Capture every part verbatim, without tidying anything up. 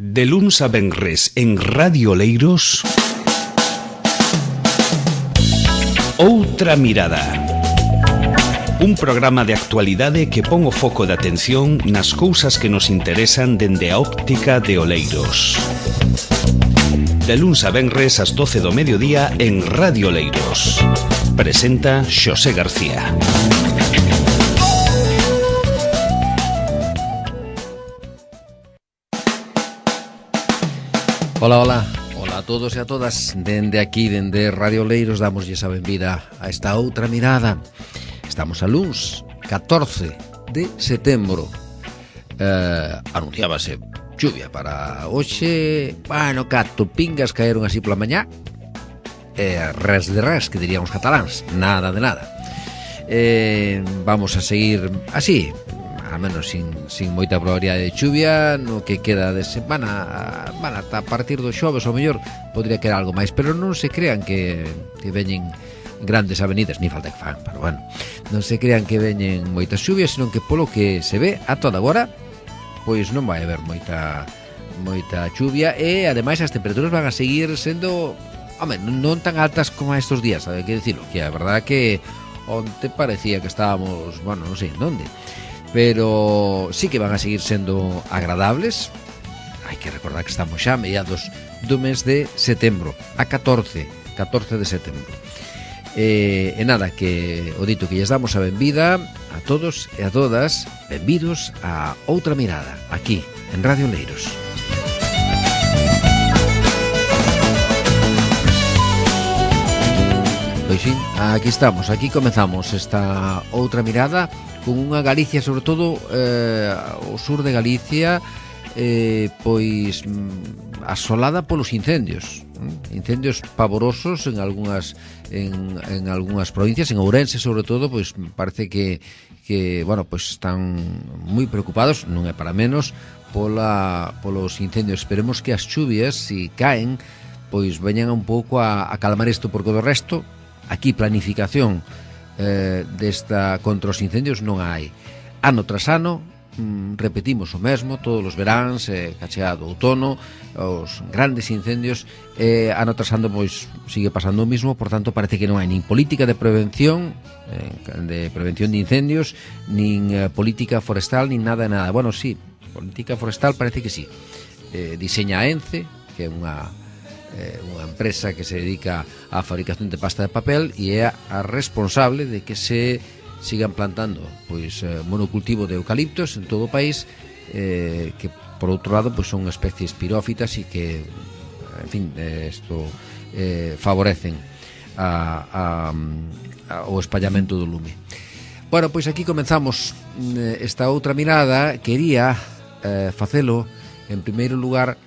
De luns a venres en Radio Oleiros, Outra Mirada. Un programa de actualidade que pon o foco de atención nas cousas que nos interesan dende a óptica de Oleiros. De luns a venres ás doce do mediodía en Radio Oleiros. Presenta Xosé García. Ola, ola, ola a todos e a todas. Dende aquí, dende Radio Oleiros, damoslle a benvida a esta outra mirada. Estamos a luns, catorce de setembro. eh, Anunciábase chuvia para hoxe. Bueno, cato pingas caeron así pola mañá. eh, Res de res, que dirían os cataláns. Nada de nada. eh, Vamos a seguir así, a menos sin, sin moita probabilidade de chuvia no que queda de semana. Bueno, ata a partir do xoves ao mellor podría quedar algo máis, pero non se crean que, que veñen grandes avenidas, ni falta que fan, pero bueno, non se crean que veñen moitas chuvias, senón que polo que se ve a toda agora, pois non vai haber moita moita chuvia. E ademais as temperaturas van a seguir sendo, home, non tan altas como estes días, hai que dicirlo, que a verdade que onte parecía que estábamos, bueno, non sei en onde, pero sí que van a seguir sendo agradables. Hai que recordar que estamos xa a mediados do mes de setembro, a catorce de setembro. E, e nada, que o dito que lles damos a benvida a todos e a todas. Benvidos a Outra Mirada, aquí en Radio Oleiros. Pois sí, aquí estamos, aquí comezamos esta Outra Mirada con unha Galicia, sobre todo eh, o sur de Galicia, eh, pois asolada polos incendios, incendios pavorosos en algunhas en, en algunhas provincias, en Ourense sobre todo, pois parece que que, bueno, pois están moi preocupados, non é para menos, pola polos incendios. Esperemos que as chuvias, si caen, pois veñan un pouco a, a calmar isto, porque do resto aquí planificación eh, desta contra os incendios non hai. Ano tras ano mm, repetimos o mesmo, todos os veráns, eh, cacheado outono, os grandes incendios, eh, ano tras ano pois sigue pasando o mismo. Por tanto, parece que non hai nin política de prevención eh, de prevención de incendios, nin eh, política forestal, nin nada de nada. Bueno, sí, política forestal parece que sí. eh, Diseña a ENCE, que é unha Eh, unha empresa que se dedica á fabricación de pasta de papel e é a responsable de que se sigan plantando pois eh, monocultivo de eucaliptos en todo o país, eh, que por outro lado pois son especies pirófitas e que, en fin, isto eh, eh, favorecen a, a, a, o espallamento do lume. Bueno, pois aquí comenzamos eh, esta outra mirada. Quería eh, facelo en primeiro lugar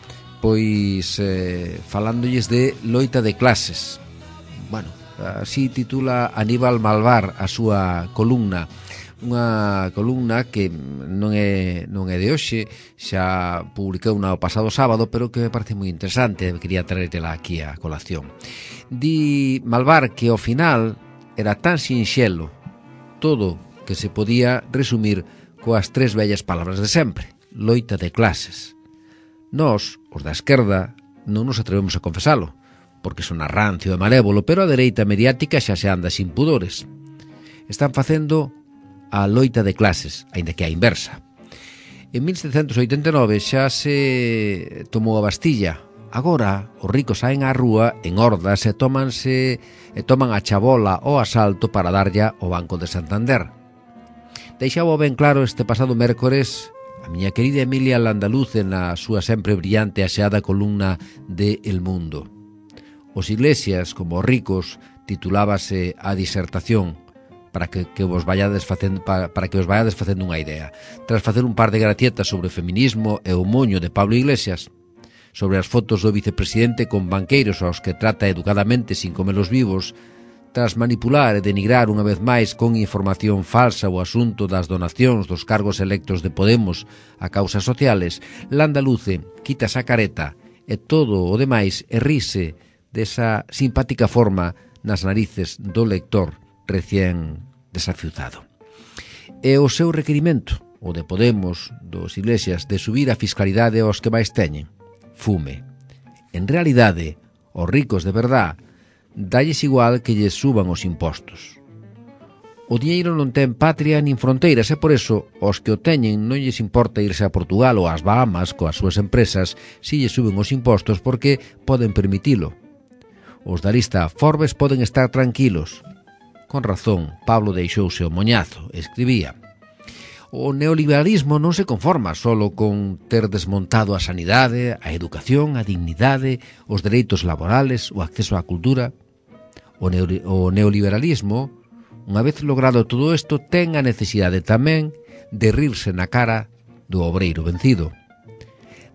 pois eh, falándolles de loita de clases. Bueno, así titula Aníbal Malvar a súa columna, unha columna que non é non é de hoxe, xa publicou o pasado sábado, pero que me parece moi interesante, quería traértela aquí a colación. Di Malvar que ao final era tan sinxelo todo que se podía resumir coas tres vellas palabras de sempre: loita de clases. Nós, os da esquerda, non nos atrevemos a confesalo, porque son rancio e malévolo, pero a dereita mediática xa se anda sin pudores. Están facendo a loita de clases, aínda que a inversa. En mil setecentos oitenta e nove xa se tomou a Bastilla. Agora, os ricos saen á rúa en hordas e tomanse e toman a chabola o asalto para darlle ao Banco de Santander. Deixaba ben claro este pasado mércores a miña querida Emilia Landaluce na súa sempre brillante e aseada columna de El Mundo. Os Iglesias, como os ricos, titulábase a disertación para que, que vos vayades facendo para, para que os vayades facendo unha idea. Tras facer un par de gratietas sobre o feminismo e o moño de Pablo Iglesias, sobre as fotos do vicepresidente con banqueiros aos que trata educadamente sin comelos vivos, tras manipular e denigrar unha vez máis con información falsa o asunto das donacións dos cargos electos de Podemos a causas sociales, Landaluce quita esa careta e todo o demais e rise desa simpática forma nas narices do lector recén desafiuzado. E o seu requerimento, o de Podemos, dos Iglesias, de subir a fiscalidade aos que máis teñen, fume. En realidade, os ricos de verdad dalles igual que lles suban os impostos. O diñeiro non ten patria nin fronteiras e por eso os que o teñen non lles importa irse a Portugal ou ás Bahamas coas súas empresas si lles suben os impostos porque poden permitilo. Os da lista Forbes poden estar tranquilos. Con razón, Pablo deixouse o moñazo, escribía. O neoliberalismo non se conforma solo con ter desmontado a sanidade, a educación, a dignidade, os dereitos laborales, o acceso á cultura. O, neo- o neoliberalismo, unha vez logrado todo isto, ten a necesidade tamén de rirse na cara do obreiro vencido,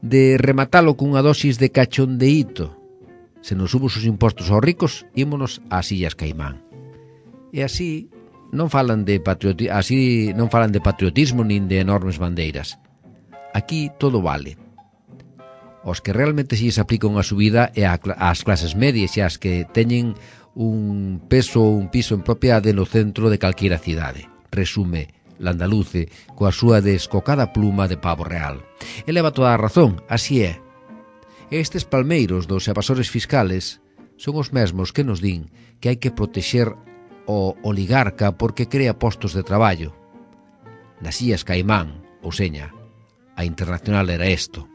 de rematalo cunha dosis de cachondeíto. Se nos subos os impostos aos ricos, ímonos ás Illas Caimán. E así non falan de patrioti- así non falan de patriotismo nin de enormes bandeiras. Aquí todo vale. Os que realmente si se aplica unha subida é ás clases medias e ás que teñen un peso ou un piso en propiedade no centro de calquera cidade. Resume Landaluce coa súa descocada pluma de pavo real. E leva toda a razón, así é. Estes palmeiros dos evasores fiscales son os mesmos que nos din que hai que protexer o oligarca porque crea postos de traballo. Nas Illas Caimán, ou seña, a internacional era isto.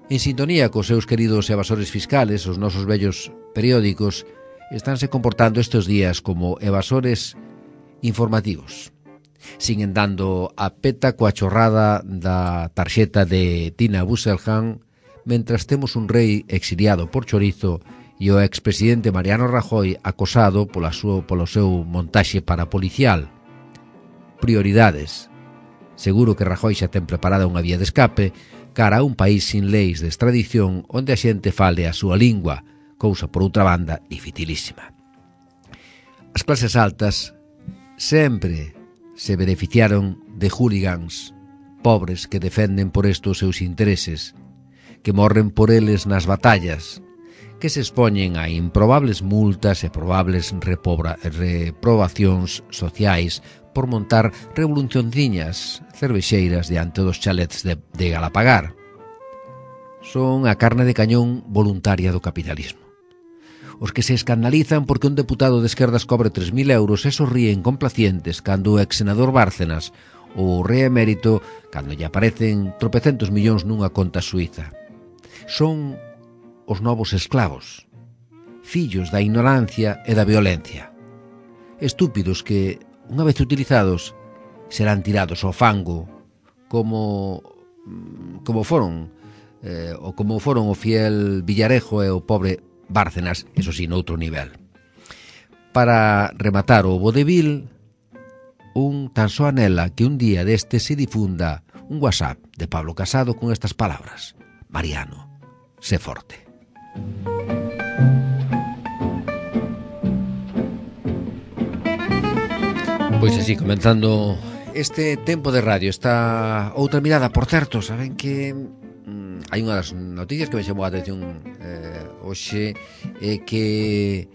En sintonía cos seus queridos evasores fiscales, os nosos vellos periódicos estánse comportando estes días como evasores informativos. Siguen dando a peta coa chorrada da tarxeta de Tina Busseljan, mentras temos un rei exiliado por chorizo e o expresidente Mariano Rajoy acosado pola súa, polo seu montaxe parapolicial. Prioridades. Seguro que Rajoy xa ten preparada unha vía de escape cara a un país sin leis de extradición onde a xente fale a súa lingua, cousa por outra banda dificilísima. As clases altas sempre se beneficiaron de hooligans, pobres que defenden por isto os seus intereses, que morren por eles nas batallas, que se expoñen a improbables multas e probables repobra, reprobacións sociais por montar revolucionciñas cervexeiras diante dos chalets de, de Galapagar. Son a carne de cañón voluntaria do capitalismo. Os que se escandalizan porque un deputado de esquerdas cobre tres mil euros e sorríen complacientes cando o ex-senador Bárcenas ou o rei emérito cando lle aparecen tropecentos millóns nunha conta suiza. Son os novos esclavos, fillos da ignorancia e da violencia. Estúpidos que, unha vez utilizados, serán tirados ao fango como como foron eh, ou como foron o fiel Villarejo e o pobre Bárcenas, eso sí, noutro nivel. Para rematar o vodevil, un tan só anela que un día deste se difunda un WhatsApp de Pablo Casado con estas palabras: Mariano, sé forte. Pois así, comenzando este tempo de radio, esta outra mirada, por certo, saben que mm, hai unha das noticias que me chamou a atención eh, hoxe, é que,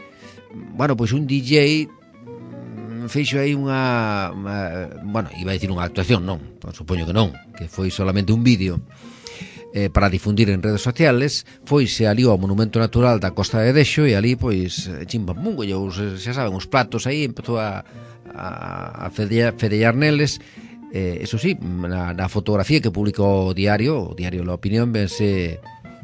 bueno, pois un D J mm, feixo aí unha, unha, bueno, iba a dicir unha actuación, non, supoño que non, que foi solamente un vídeo eh, para difundir en redes sociales. Foise ali ao Monumento Natural da Costa de Dexo e ali, pois, chimpamungo, xa saben, os platos aí, empezou a a, a fedellar, fedellar neles. Eh, eso sí, na, na fotografía que publicou o diario, o diario La Opinión, vense,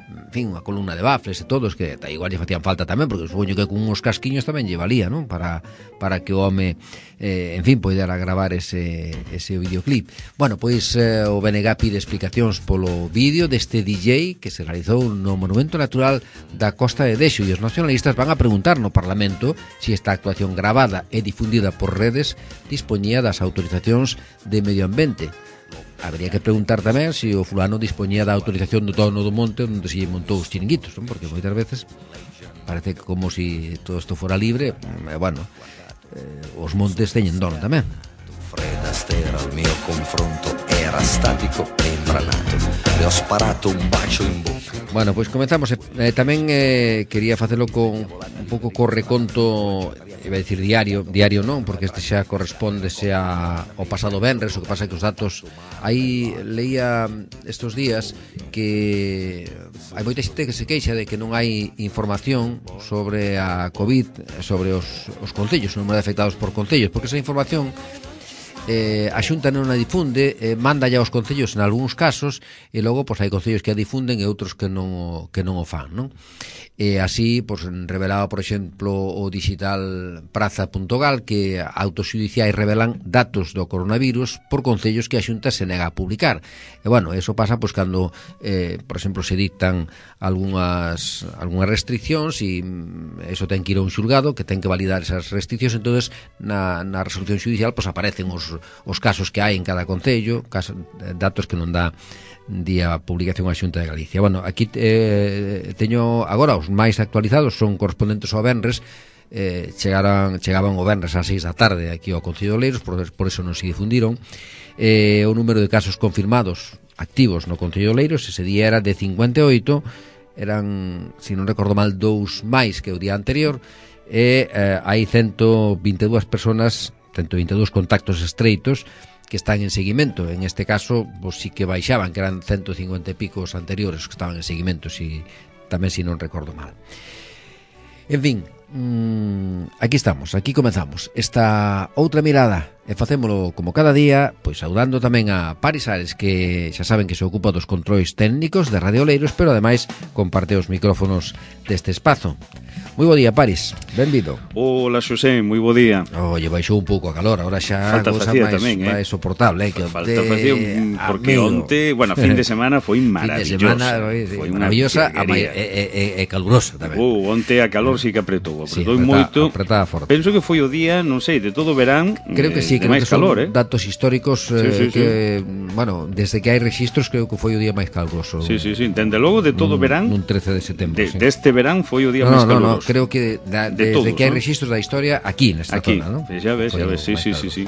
en fin, unha columna de bafles e todos, que tá, igual lle facían falta tamén, porque supoño que con uns casquiños tamén lle valía, non? Para, para que o home, eh, en fin, poidera gravar ese, ese videoclip. Bueno, pois eh, o B N G pide explicacións polo vídeo deste D J que se realizou no Monumento Natural da Costa de Dexo, e os nacionalistas van a preguntar no Parlamento se esta actuación gravada e difundida por redes dispoñía das autorizacións de medio ambiente. Habría que preguntar tamén se o fulano dispoñía da autorización do Tono do Monte onde se montou os chiringuitos, non? Porque moitas veces parece que como se si todo isto fora libre, e, bueno, eh, os montes teñen dono tamén. Fredda stera al mio confronto era statico e imbranato. Le ho sparato un bacio in bocca. Bueno, pois comenzamos. Eh, tamén eh, quería facelo con un pouco co reconto iba a decir diario, diario non, porque este xa corresponde xa ao pasado venres, o que pasa é que os datos aí leía estos días que hai moita xente que se queixa de que non hai información sobre a COVID, sobre os, os concellos, o número de afectados por concellos, porque esa información eh, a Xunta non a difunde, eh, manda ya aos concellos en algúns casos, e logo pois hai concellos que a difunden e outros que non o, que non o fan, non? E así, pois, revelaba, por exemplo, o digital praza punto gal que autoxudiciais revelan datos do coronavirus por concellos que a Xunta se nega a publicar. E, bueno, eso pasa, pois, cando, eh, por exemplo, se dictan algunhas, algunhas restriccións e eso ten que ir a un xulgado que ten que validar esas restriccións, entonces na, na resolución xudicial, pois, aparecen os, os casos que hai en cada concello, casos, datos que non dá día a publicación a Xunta de Galicia. Bueno, aquí eh, teño agora os máis actualizados, son correspondentes ao venres, eh, chegaran, chegaban o venres ás seis da tarde aquí ao Concello de Oleiros, por, por eso non se difundiron. Eh, o número de casos confirmados activos no Concello de Oleiros ese día era de cincuenta e oito, eran, se non recordo mal, dous máis que o día anterior, e eh, hai ciento vinte e dúas personas, ciento vinte e dúas contactos estreitos que están en seguimento. En este caso, pues sí que baixaban, que eran ciento cincuenta e pico os anteriores que estaban en seguimento, si, tamén si non recordo mal. En fin, mmm, aquí estamos, aquí comenzamos esta outra mirada, e facémolo como cada día, pois saudando tamén a Paris Ares, que xa saben que se ocupa dos controis técnicos de Radio Oleiros, pero ademais comparte os micrófonos deste espazo. Moi bo día, Paris, benvido. Hola, Xosé, moi bo día. Oye, baixou un pouco a calor, agora xa falta cousa facía máis, tamén, eh? máis soportable, eh? Que falta facía, porque amigo. onte, bueno, fin de semana foi maravilloso. Fin de semana foi maravillosa e, e, e calurosa tamén. Uh, onte a calor sí que apretou, apretou sí, moito. Apretada forte. Penso que foi o día, non sei, de todo o verán, creo que sí, eh, creo máis que calor, son eh? datos históricos eh, sí, sí, que, sí. bueno, desde que hai registros creo que foi o día máis caluroso. Sí, sí, sí, dende logo de todo o verán. Un trece de setembro, de, sí. Deste verán foi o día no, máis no, caluroso. No, no, creo que da, de desde todos, que hai ¿no? registros da historia aquí nesta aquí, zona, ¿no? Xa ves, xa ves, sí, sí, sí, sí.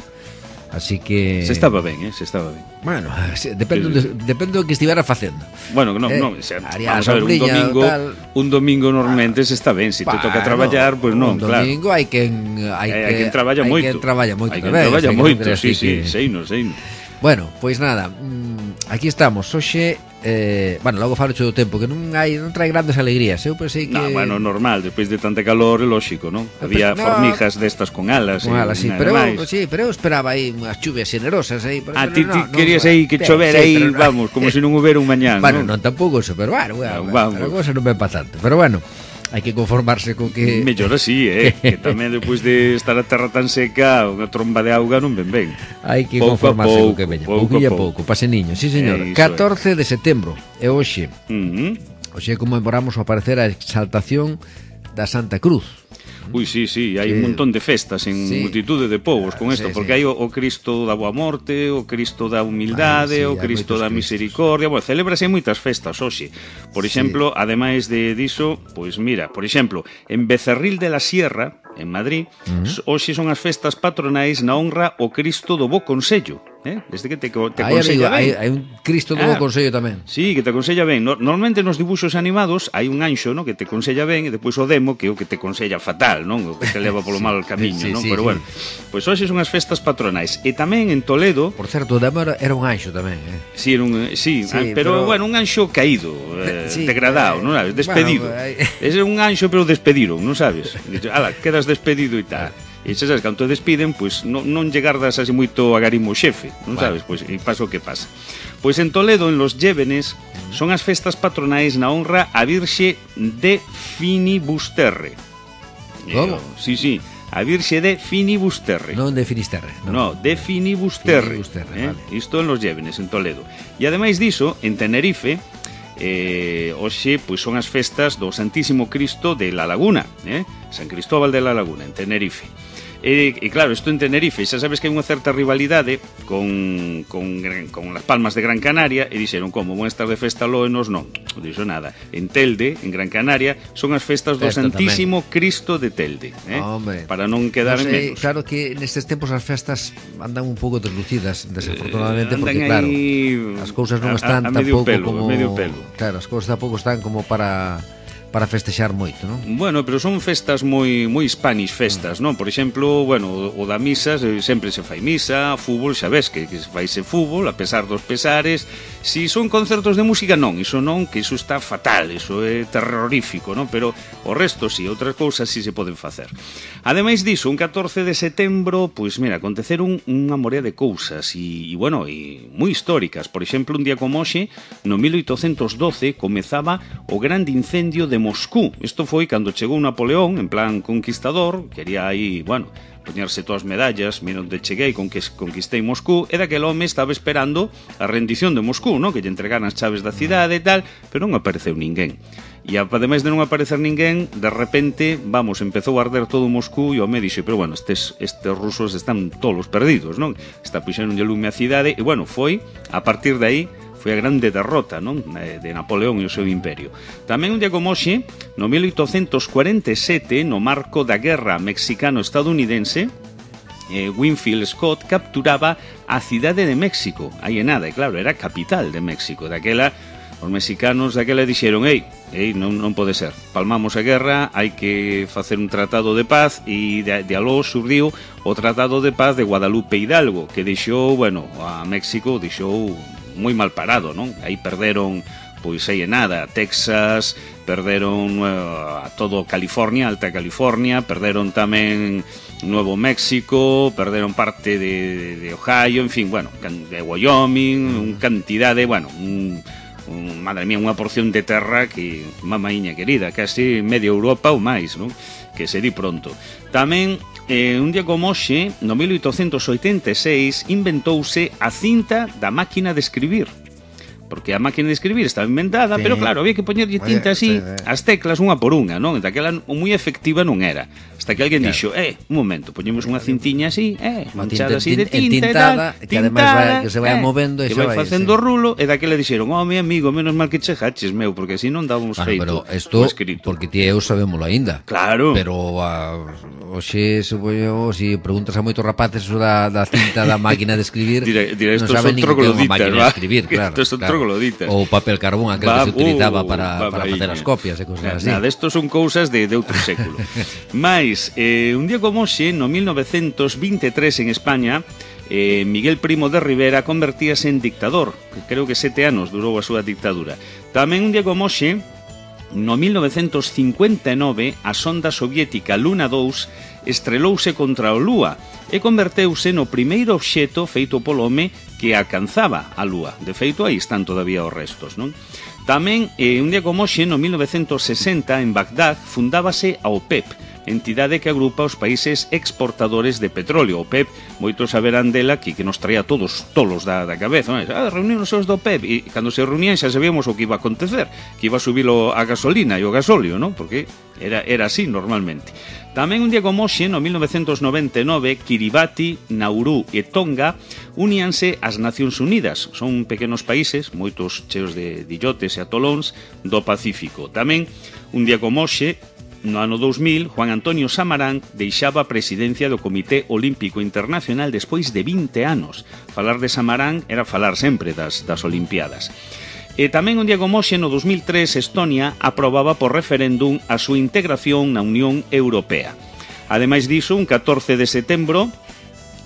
Así que se estaba ben, eh, se estaba ben. Bueno, depende sí, sí. De, depende do que estivera facendo. Bueno, no, eh, no, se, vamos a ver, un domingo, tal... un domingo normalmente se está ben, se si te toca traballar, pois pues non, claro. Un domingo hai quen hai que hai quen traballa moito. Hai quen traballa moito, hai quen traballa moito, sí, sí, seino, seino. Bueno, pois pues nada, aquí estamos. Hoxe eh, bueno, logo falo do tempo que non hai non trae grandes alegrías. Eu pensei que no, bueno, normal, despois de tanta calor, é lógico, non? Había no, formigas destas con alas, con alas, sí, pero eu, sí, pero eu esperaba aí unhas chuvias generosas aí, ah, ti, no, ti no, querías no, aí que chover sí, aí, vamos, como se non houbera un mañán, bueno, non? non tampouco eso, pero bueno, bueno, no, vamos. A cousa non ven pa tanto, pero bueno, hai que conformarse con que mellor así, eh, que tamén depois de estar a terra tan seca, unha tromba de auga non ven ben. Hai que pouco conformarse pouco, con que veña, pouco a pouco, pase niño. Sí, señor. Eh, catorce de setembro é hoxe. Uh -huh. Hoxe conmemoramos o aparecer a exaltación da Santa Cruz. Ui, sí, sí, hai sí. un montón de festas en sí. multitude de povos con isto, sí, porque sí. hai o, o Cristo da Boa Morte, o Cristo da Humildade, ah, sí, o Cristo da Misericordia, bueno, celébrase moitas festas hoxe. Por exemplo, sí. ademais de diso, pois mira, por exemplo, en Becerril de la Sierra, en Madrid, uh -huh. hoxe son as festas patronais na honra ao Cristo do Bo Consello. Eh? Desde que te, te hai, aconsella amigo, ben. Hai, hai un Cristo do ah, Bo Consello tamén. Sí, que te aconsella ben. No, normalmente nos dibuxos animados hai un anxo, ¿no? Que te aconsella ben, e depois o demo que é o que te aconsella fatal, non? O que te leva polo mal camiño, sí, non? Sí, Pero sí. bueno, pois pues hoxe son as festas patronais. E tamén en Toledo, por certo, o demo era un anxo tamén, eh? Sí, era un, sí, sí ah, pero, pero bueno, un anxo caído, eh, sí, degradado, eh, non sabes, despedido. Bueno, eh, Ese é un anxo pero despediron, non sabes? Dice, ala, quedas despedido e tal. E xa sabes, cando te despiden, pois non, non llegardas así moito a garimo xefe, non sabes? Pois e pasa o que pasa. Pois en Toledo, en Los Llévenes, son as festas patronais na honra a Virxe de Finibusterre. Como? Sí, sí, a Virxe de Finibusterre. Non de Finisterre. Non, no, de Finibusterre. Finibusterre, eh? Vale. Isto en Los Llévenes, en Toledo. E ademais diso, en Tenerife, eh, hoxe pois son as festas do Santísimo Cristo de la Laguna, eh? San Cristóbal de la Laguna, en Tenerife. E, e claro, isto en Tenerife, xa sabes que hai unha certa rivalidade con, con, con Las Palmas de Gran Canaria, e dixeron, como, vão estar de festa lo e nos non. Non dixo nada. En Telde, en Gran Canaria, son as festas do Festa Santísimo tamén. Cristo de Telde, eh? Hombre, para non quedar no sé, en menos. Claro que nestes tempos as festas andan un pouco deslucidas, desafortunadamente, eh, porque claro, as cousas non están a, a, a tampouco pelo, como medio pelo. Claro, as cousas tampouco están como para para festexar moito, non? Bueno, pero son festas moi moi Spanish festas, non? Por exemplo, bueno, o, o da misa sempre se fai misa, fútbol, xa ves que, que se faise fútbol, a pesar dos pesares. Si son concertos de música, non, iso non, que iso está fatal, iso é terrorífico, non? Pero o resto si, outras cousas si se poden facer. Ademais diso, un catorce de setembro, pois mira, aconteceron unha morea de cousas e, e bueno, e moi históricas. Por exemplo, un día como hoxe, no mil oitocentos doce, comezaba o grande incendio de Moscú. Isto foi cando chegou Napoleón, en plan conquistador, quería aí, bueno, poñerse todas as medallas, mira onde cheguei, con que conquistei Moscú, e daquel home estaba esperando a rendición de Moscú, non? Que lle entregaran as chaves da cidade e tal, pero non apareceu ninguén. E ademais de non aparecer ninguén, de repente, vamos, empezou a arder todo Moscú e o me dixo, pero bueno, estes, estes rusos están todos perdidos, non? Está puxendo un lume a cidade, e bueno, foi, a partir de aí, foi a grande derrota, non? De Napoleón e o seu imperio. Tamén un día como hoxe, no mil oitocentos cuarenta e sete, no marco da guerra mexicano-estadounidense, eh, Winfield Scott capturaba a cidade de México. Aí é nada, e claro, era a capital de México. Daquela, os mexicanos daquela dixeron, ei, ei, non, non pode ser, palmamos a guerra, hai que facer un tratado de paz, e de, de aló surdiu o tratado de paz de Guadalupe Hidalgo, que deixou, bueno, a México deixou moi mal parado, non? Aí perderon, pois aí é nada, Texas, perderon uh, a todo California, Alta California, perderon tamén Nuevo México, perderon parte de, de Ohio, en fin, bueno, de Wyoming, un cantidade, bueno, un, un, madre mía, unha porción de terra que, mamaíña querida, casi media Europa ou máis, non? Que se di pronto. Tamén, Eh, un día como hoxe, no mil oitocentos oitenta e seis, inventouse a cinta da máquina de escribir. Porque a máquina de escribir estaba inventada, sí. Pero claro, había que poñerlle tinta así, sí, sí. As teclas unha por unha, non? Daquela moi efectiva non era. Hasta que alguén claro. Dixo, eh, un momento, poñemos unha cintiña así, eh, manchada así de tinta e tal, que ademais vai, que se vai eh, movendo e que vai facendo sí. Rulo, e daquela dixeron, oh, mi amigo, menos mal que chegaches, meu, porque así non dábamos bueno, feito pero esto, escrito. Porque ti eu sabémolo aínda. Claro. Pero uh, hoxe, supoño, se preguntas a moitos rapaces da, da cinta da máquina de escribir, dire, dire, non saben nin que é unha máquina de escribir, claro. Estos son trogloditas. Ou papel carbón, aquel va, que se utilizaba uh, para, para facer as copias e cosas así. Nada, estos son cousas de, de outro século. Mais, eh, un día como hoxe, no mil novecentos veintitrés en España, eh, Miguel Primo de Rivera convertíase en dictador, que creo que sete anos durou a súa dictadura. Tamén un día como hoxe, no mil novecentos cincuenta e nove, a sonda soviética Luna dous estrelouse contra a Lúa e converteuse no primeiro obxeto feito polo home que alcanzaba a Lúa. De feito, aí están todavía os restos, non? Tamén, eh, un día como hoxe, no mil novecentos sesenta, en Bagdad, fundábase a OPEP, entidade que agrupa os países exportadores de petróleo. O P E P, moitos saberán dela que, que nos traía todos tolos da, da cabeza, non? Ah, reunión os do P E P, e cando se reunían xa sabíamos o que iba a acontecer, que iba a subir a gasolina e o gasóleo, non? Porque era, era así normalmente. Tamén un día como hoxe, no mil novecentos noventa e nove, Kiribati, Nauru e Tonga uníanse ás Nacións Unidas. Son pequenos países, moitos cheos de illotes e atolóns do Pacífico. Tamén un día como hoxe, no ano dous mil, Juan Antonio Samarán deixaba a presidencia do Comité Olímpico Internacional despois de vinte anos. Falar de Samarán era falar sempre das, das Olimpiadas. E tamén un día como hoxe, no dos mil tres, Estonia aprobaba por referéndum a súa integración na Unión Europea. Ademais diso, un catorce de setembro,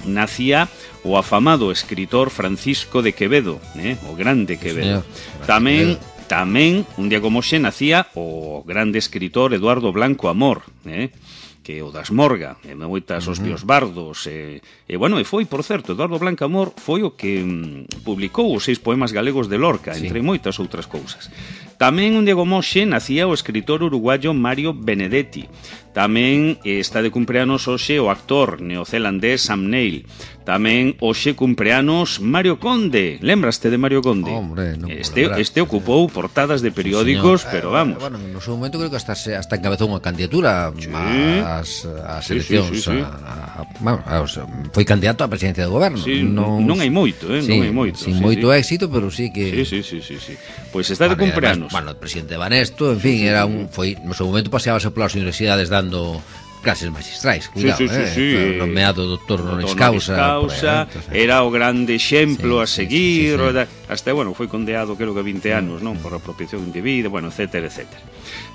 nacía o afamado escritor Francisco de Quevedo, eh? o grande Quevedo. Tamén... Tamén, un día como hoxe, nacía o grande escritor Eduardo Blanco Amor, eh? que o das Morga, e moitas os Pios Bardos, e, e bueno, e foi, por certo, Eduardo Blanco Amor foi o que mm, publicou os seis poemas galegos de Lorca, sí. entre moitas outras cousas. Tamén, un día como hoxe, nacía o escritor uruguayo Mario Benedetti. Tamén eh, está de cumpleanos hoxe o actor neozelandés Sam Neill. Tamén hoxe cumpleanos Mario Conde. Lembraste de Mario Conde? Hombre, non este, este ocupou portadas de periódicos, sí, pero vamos. Eh, bueno, no seu momento creo que hasta, hasta encabezou unha candidatura sí. ás, ás eleccións. Sí, sí, sí, sí. A, a, bueno, a, foi candidato á presidencia do goberno. Sí, non, non hai moito, eh? Sí, non hai moito. Sin sí, moito sí. éxito, pero sí que... Sí, sí, sí, sí, sí. Pois pues está de cumpleanos. Bueno, o presidente Banesto, en fin, era un, foi, no seu momento paseábase polas universidades dando clases magistrais, cuidado, sí, sí, eh, sí, sí. nomeado doctor honoris causa, causa por era o grande exemplo sí, a seguir, sí, sí, sí. hasta, bueno, foi condeado creo que vinte anos, non, por apropiación indebida, bueno, etcétera, etcétera.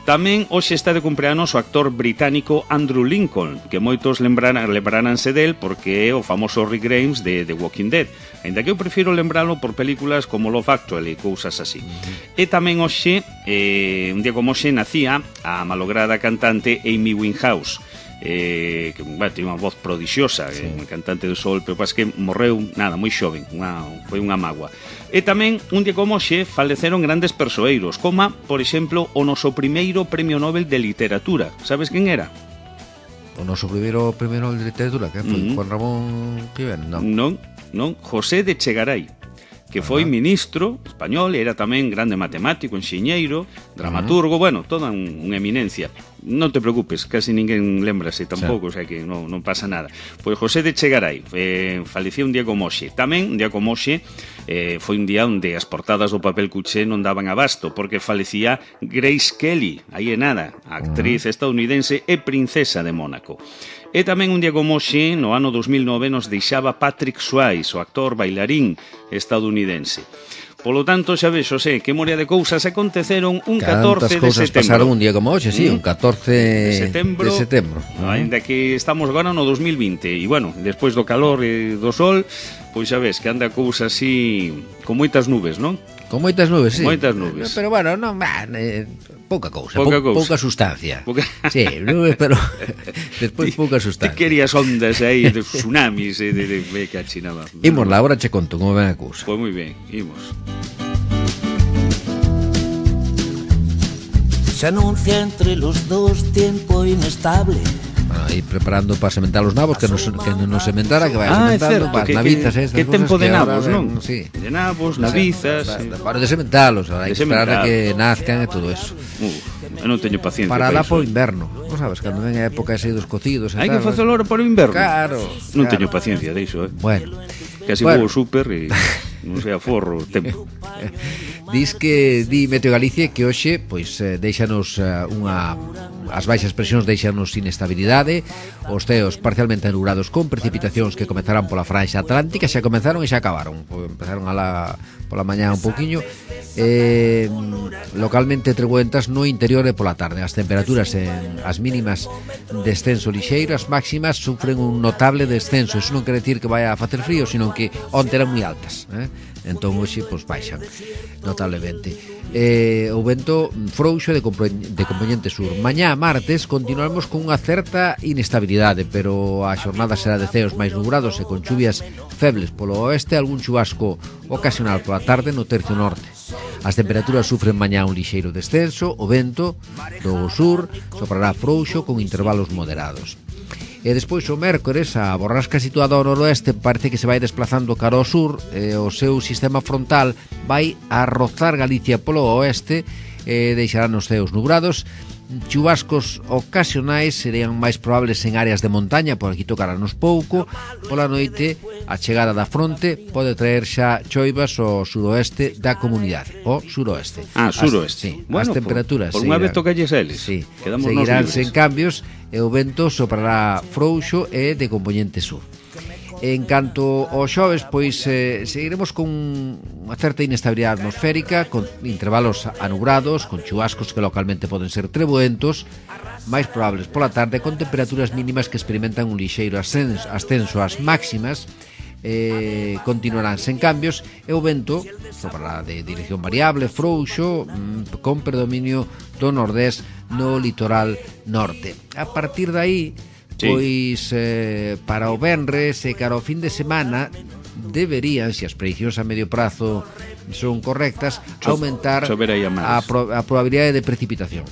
Tamén hoxe está de cumpleanos o actor británico Andrew Lincoln, que moitos lembrarán, lembraránse del porque é o famoso Rick Grimes de The Walking Dead, ainda que eu prefiro lembralo por películas como Love Actually e cousas así. E tamén hoxe, eh, un día como hoxe, nacía a malograda cantante Amy Winehouse, eh, que bueno, tiene unha voz prodixiosa, sí. eh, cantante de soul, pero pas que morreu, nada, moi xoven, unha, foi unha mágoa. E tamén, un día como hoxe, faleceron grandes persoeiros, como, por exemplo, o noso primeiro Premio Nobel de Literatura. Sabes quen era? O noso primeiro Premio Nobel de Literatura, que foi? Mm-hmm. Juan Ramón Quivén, non? Non, non, José de Chegaray, que foi uh-huh. ministro español, era tamén grande matemático, enxeñeiro, dramaturgo, uh-huh. bueno, toda un, unha eminencia. Non te preocupes, casi ninguén lembrase tampouco, sí. O sea que non, non pasa nada. Pois José de Chegaray eh, falecía un día como hoxe. Tamén, un día como hoxe, eh, foi un día onde as portadas do papel cuché non daban abasto, porque falecía Grace Kelly, aí é nada, a actriz uh-huh. estadounidense e princesa de Mónaco. E tamén un día como hoxe, no ano dos mil nove, nos deixaba Patrick Swayze, o actor bailarín estadounidense. Polo tanto, xa ves, Xosé, que moria de cousas aconteceron un catorce de setembro. Cantas cousas pasaron un día como hoxe, sí, un catorce de setembro. De setembro. Ainda que estamos agora no dos mil vinte, e, bueno, despois do calor e do sol, pois xa ves, que anda cousa así, con moitas nubes, non? Con moitas nubes, sí. Moitas nubes. Pero, bueno, non, eh, pouca cousa, pouca, pou, cousa. pouca sustancia. Pouca... Sí, nubes, pero despois pouca sustancia. Ti querías ondas aí de tsunamis e de, de, de que achinaba. Imos lá, agora che conto como ven a cousa. Pois moi ben, imos. Se anuncia entre los dos tiempo inestable. Bueno, aí preparando para sementar os nabos, que nos, que nos sementara, que vai ah, sementando para as navizas, estas que tempo de nabos, ven, non? Sí. De nabos, navizas, sí. Sí. Para de sementalos, hai que esperar a que nazcan e todo eso. Uh, eu non teño paciencia para lá para o inverno, non sabes, cando ven a época ese dos cocidos e hai tal. que facelo ahora para o inverno. Claro. Non claro. teño paciencia deixo, eh. Bueno. Casi bueno. vou ao súper e non sei a forro o tempo. Dis que di Meteo Galicia que hoxe pois eh, deixanos eh, unha as baixas presións deixanos inestabilidade, os ceos parcialmente nublados con precipitacións que comezarán pola franxa atlántica, xa comenzaron e xa acabaron. Empezaron a la pola mañá un poquiño. Eh, localmente trebuentas no interior e pola tarde. As temperaturas en as mínimas descenso lixeiro, as máximas sufren un notable descenso. Iso non quere decir que vai a facer frío, sino que onte eran moi altas, eh? Entón hoxe pois baixan notablemente. Eh, o vento frouxo de, de componente sur. Mañá martes continuaremos con unha certa inestabilidade, pero a xornada será de ceos máis nubrados e con chuvias febles polo oeste, algún chubasco ocasional pola tarde no tercio norte. As temperaturas sufren mañá un lixeiro descenso, o vento do sur soprará frouxo con intervalos moderados. E despois o mércores a borrasca situada ao noroeste parece que se vai desplazando cara ao sur, e o seu sistema frontal vai a rozar Galicia polo oeste e deixarán os ceos nubrados. Chubascos ocasionais serían máis probables en áreas de montaña, por aquí tocaranos pouco. Pola noite a chegada da fronte pode traer xa choivas ao suroeste da comunidade, o suroeste. Ah, suroeste. As, sí, bueno, as temperaturas por, por unha vez tocalles eles. Sí, quedamos seguirán sen cambios e o vento soprará frouxo e de componente sur. En canto ao xoves, pois eh, seguiremos con unha certa inestabilidade atmosférica, con intervalos anubrados, con chubascos que localmente poden ser trebuentos, máis probables pola tarde, con temperaturas mínimas que experimentan un lixeiro ascenso, ascenso ás máximas, eh, continuarán sen cambios, e o vento soprará de dirección variable, frouxo, mm, con predominio do nordés no litoral norte. A partir de aí, sí. Pois eh, para o venres e cara ao fin de semana deberían, se as prediccións a medio prazo son correctas, Cho, aumentar a, pro, a probabilidade de precipitación.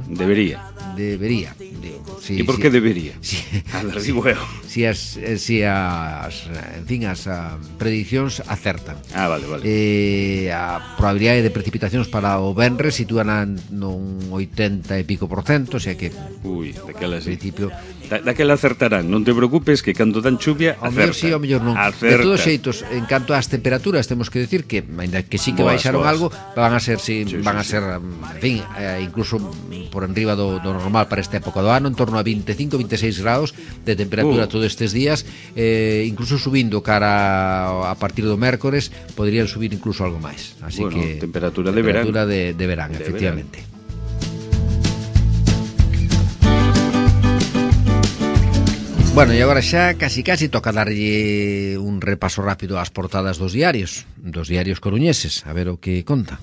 Debería. Debería. Digo, sí, e por que sí, debería? Sí, a ver, digo eu. Si as, si as, en fin, as a, prediccións acertan. Ah, vale, vale. Eh, a probabilidade de precipitacións para o venres sitúan nun oitenta e pico por cento, o sea que Ui, daquela sí. Principio Da, daquela acertarán, non te preocupes que cando dan chuvia ao mellor acertan. sí, ao mellor non. Acertan. De todos xeitos, en canto ás temperaturas, temos que decir que, ainda que sí que Boas, baixaron boas. algo, van a ser, sí, Sí, van sí, a ser, en fin, eh, incluso por enriba do, do normal para esta época do ano, en torno a veinticinco, veintiséis grados de temperatura Uh. todos estes días, eh, incluso subindo cara a partir do mércores, podrían subir incluso algo máis. Así Bueno, que temperatura de verán. temperatura de, de verán, De efectivamente. Bueno, e agora xa casi casi toca darlle un repaso rápido ás portadas dos diarios, dos diarios coruñeses, a ver o que conta.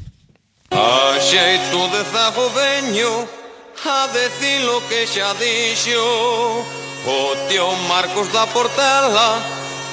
A xeito de zago veño a decir lo que xa dixo o tío Marcos da Portela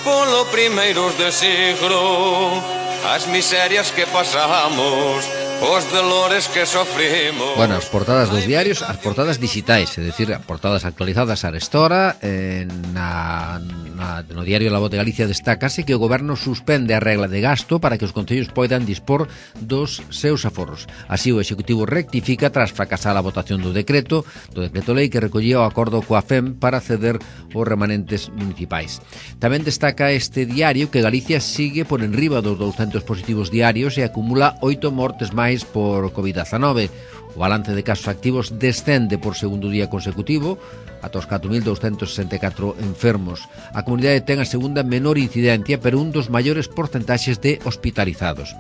polo primeiros de siglo, as miserias que pasamos, os dolores que sofrimos. Bueno, as portadas dos diarios, as portadas digitais, é dicir, as portadas actualizadas a restora, eh, na, na, no diario La Voz de Galicia destácase que o goberno suspende a regla de gasto para que os concellos poidan dispor dos seus aforros. Así o Executivo rectifica tras fracasar a votación do decreto, do decreto lei que recollía o acordo coa F E M para ceder os remanentes municipais. Tamén destaca este diario que Galicia sigue por enriba dos douscentos positivos diarios e acumula oito mortes máis por covid diecinueve. O balance de casos activos descende por segundo día consecutivo ata os catro mil douscentos sesenta e catro enfermos. A comunidade ten a segunda menor incidencia, pero un dos maiores porcentaxes de hospitalizados.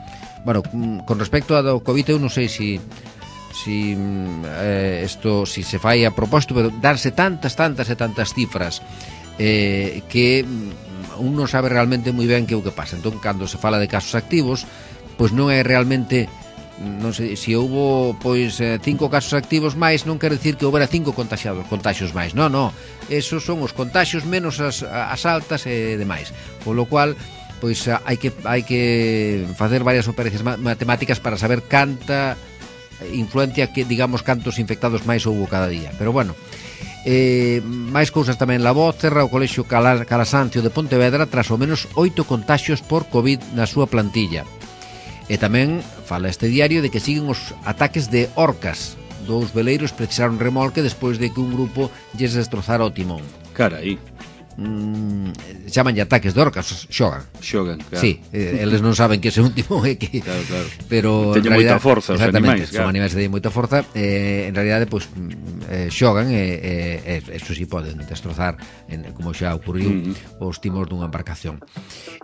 Bueno, con respecto ao COVID, eu non sei se si eh, esto si se fai a propósito, pero darse tantas, tantas e tantas cifras eh, que un non sabe realmente moi ben que é o que pasa. Entón, cando se fala de casos activos, pois non é realmente, non sei, se houbo pois cinco casos activos máis, non quer dicir que houbera cinco contagiados, contagios máis. Non, non. Esos son os contagios menos as, as altas e demais. Polo cual, pois hai que hai que facer varias operacións matemáticas para saber canta influencia que, digamos, cantos infectados máis houbo cada día. Pero bueno, eh, máis cousas tamén. La Voz cerra o Colexio Calasancio de Pontevedra tras ao menos oito contagios por COVID na súa plantilla. E tamén fala este diario de que siguen os ataques de orcas. Dous veleiros precisaron remolque despois de que un grupo lles destrozara o timón. Carai. Mm, chamanlle ataques de orcas, xogan. Xogan, claro. Sí, eh, eles non saben que ese un timón é que... Claro, claro. Pero teñen moita forza os animais, claro. Son animais que teñen moita forza, eh, en realidade, pois, eh, xogan e, eh, eh, eso sí poden destrozar, en, como xa ocurriu, uh-huh. os timos dunha embarcación.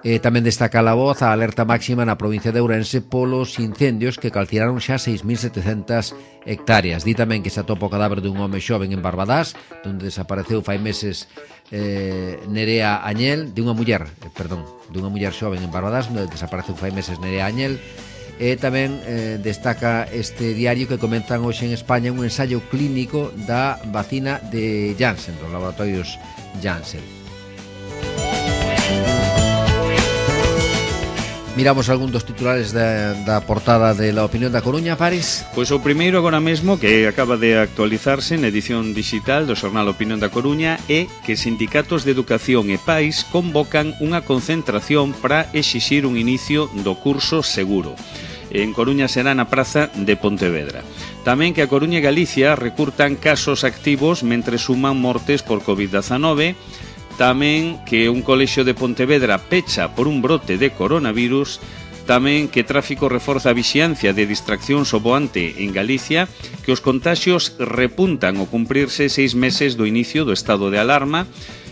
Eh, tamén destaca La Voz a alerta máxima na provincia de Ourense polos incendios que calcinaron xa seis mil setecentas hectáreas. Di tamén que se atopa o cadáver dun home xoven en Barbadás, onde desapareceu fai meses eh, Nerea Añel, de unha muller, eh, perdón, de unha muller xoven en Barbadás, onde desapareceu fai meses Nerea Añel. E tamén eh, destaca este diario que comenzan hoxe en España un ensaio clínico da vacina de Janssen, dos laboratorios Janssen. Miramos algún dos titulares da, da portada de La Opinión da Coruña, Paris. Pois o primeiro agora mesmo, que acaba de actualizarse na edición digital do xornal Opinión da Coruña, é que sindicatos de educación e pais convocan unha concentración para exixir un inicio do curso seguro. En Coruña será na praza de Pontevedra. Tamén que a Coruña e Galicia recurtan casos activos mentre suman mortes por covid diecinueve. Tamén que un colexio de Pontevedra pecha por un brote de coronavirus. Tamén que tráfico reforza a vixiancia de distraccións ao voante en Galicia, que os contaxios repuntan ao cumprirse seis meses do inicio do estado de alarma,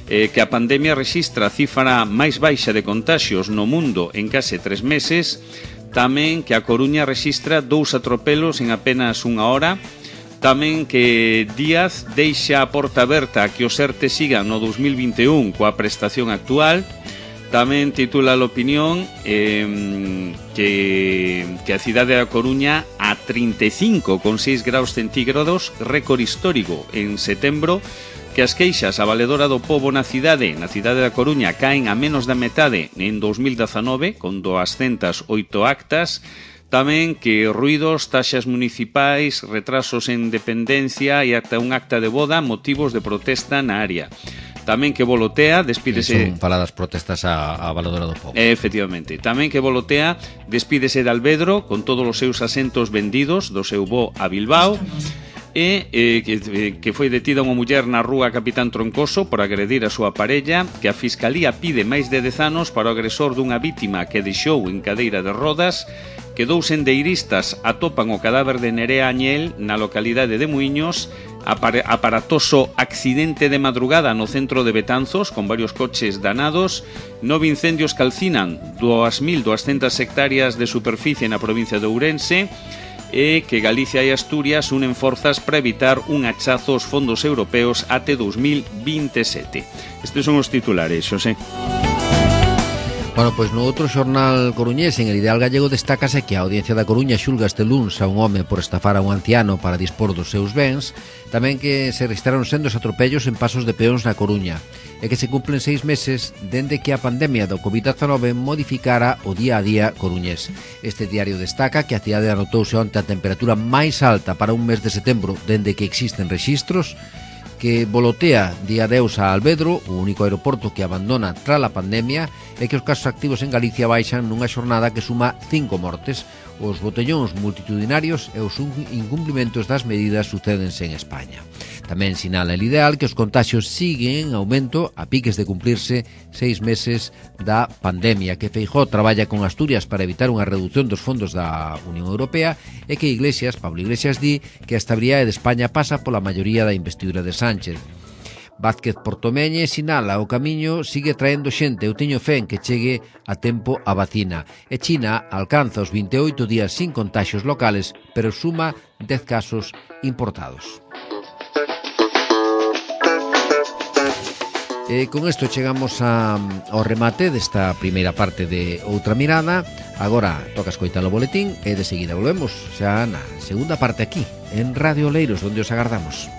eh, que a pandemia rexistra a cifra máis baixa de contaxios no mundo en case tres meses. Tamén que a Coruña rexistra dous atropelos en apenas unha hora. Tamén que Díaz deixa a porta aberta a que os ERTE sigan no dos mil vinte e un coa prestación actual. Tamén titula a Opinión eh, que, que a cidade da Coruña a trinta e cinco coma seis graus centígrados, récord histórico en setembro, que as queixas a valedora do pobo na cidade, na cidade da Coruña, caen a menos da metade en dos mil diecinueve, con doscientas oito actas. Tamén que ruidos, taxas municipais, retrasos en dependencia e ata un acta de boda, motivos de protesta na área. Tamén que Volotea despídese... Son faladas protestas a, a valedora do pobo. Efectivamente. Tamén que Volotea despídese de Alvedro con todos os seus asentos vendidos do seu voo a Bilbao. e eh, que, que foi detida unha muller na rúa Capitán Troncoso por agredir a súa parella, que a Fiscalía pide máis de dez anos para o agresor dunha vítima que deixou en cadeira de rodas, que dous sendeiristas atopan o cadáver de Nerea Añel na localidade de Muiños, aparatoso accidente de madrugada no centro de Betanzos con varios coches danados, nove incendios calcinan dúas mil duascentas hectáreas de superficie na provincia de Ourense, e que Galicia e Asturias unen forzas para evitar un hachazo aos fondos europeos até dos mil veintesete. Estes son os titulares, Xosé. Bueno, pois no outro xornal coruñés, en El Ideal Gallego, destácase que a Audiencia da Coruña xulga este luns a un home por estafar a un anciano para dispor dos seus bens, tamén que se registraron sendos atropellos en pasos de peóns na Coruña, e que se cumplen seis meses dende que a pandemia do covid dezanove modificara o día a día coruñés. Este diario destaca que a cidade anotouse onte a temperatura máis alta para un mes de setembro dende que existen rexistros, que volotea día adeus a Alvedro, o único aeroporto que abandona tras a pandemia, e que os casos activos en Galicia baixan nunha xornada que suma cinco mortes. Os botellóns multitudinarios e os incumplimentos das medidas sucédense en España. Tamén sinala El Ideal que os contaxios siguen en aumento a piques de cumplirse seis meses da pandemia, que Feijóo traballa con Asturias para evitar unha reducción dos fondos da Unión Europea, e que Iglesias, Pablo Iglesias, di que a estabilidade de España pasa pola maioría da investidura de Sánchez. Vázquez Portomeñe sinala o camiño sigue traendo xente, eu teño fe en que chegue a tempo a vacina. E China alcanza os vinte e oito días sin contaxios locales, pero suma dez casos importados. E con isto chegamos a, ao remate desta primeira parte de Outra Mirada. Agora toca escoitar o boletín e de seguida volvemos xa na segunda parte aquí, en Radio Oleiros, onde os agardamos.